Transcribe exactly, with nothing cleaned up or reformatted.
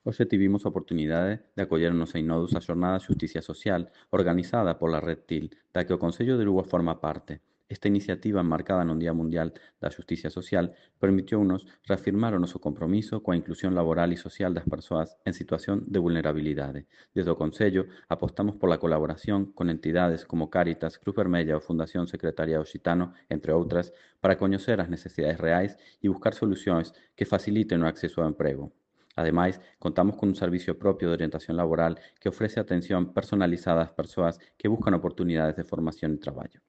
Hoxe tivemos a oportunidade de acoller nos einodos a Xornada de Xusticia Social, organizada pola Red Til, da que o Concello de Lugo forma parte. Esta iniciativa, enmarcada no Día Mundial da Xusticia Social, permitiounos reafirmar o noso compromiso coa inclusión laboral e social das persoas en situación de vulnerabilidade. Desde o Concello, apostamos pola colaboración con entidades como Cáritas, Cruz Vermella ou Fundación Secretariado Xitano, entre outras, para coñecer as necesidades reais e buscar solucións que faciliten o acceso ao emprego. Ademais, contamos con un servicio propio de orientación laboral que ofrece atención personalizada ás persoas que buscan oportunidades de formación e traballo.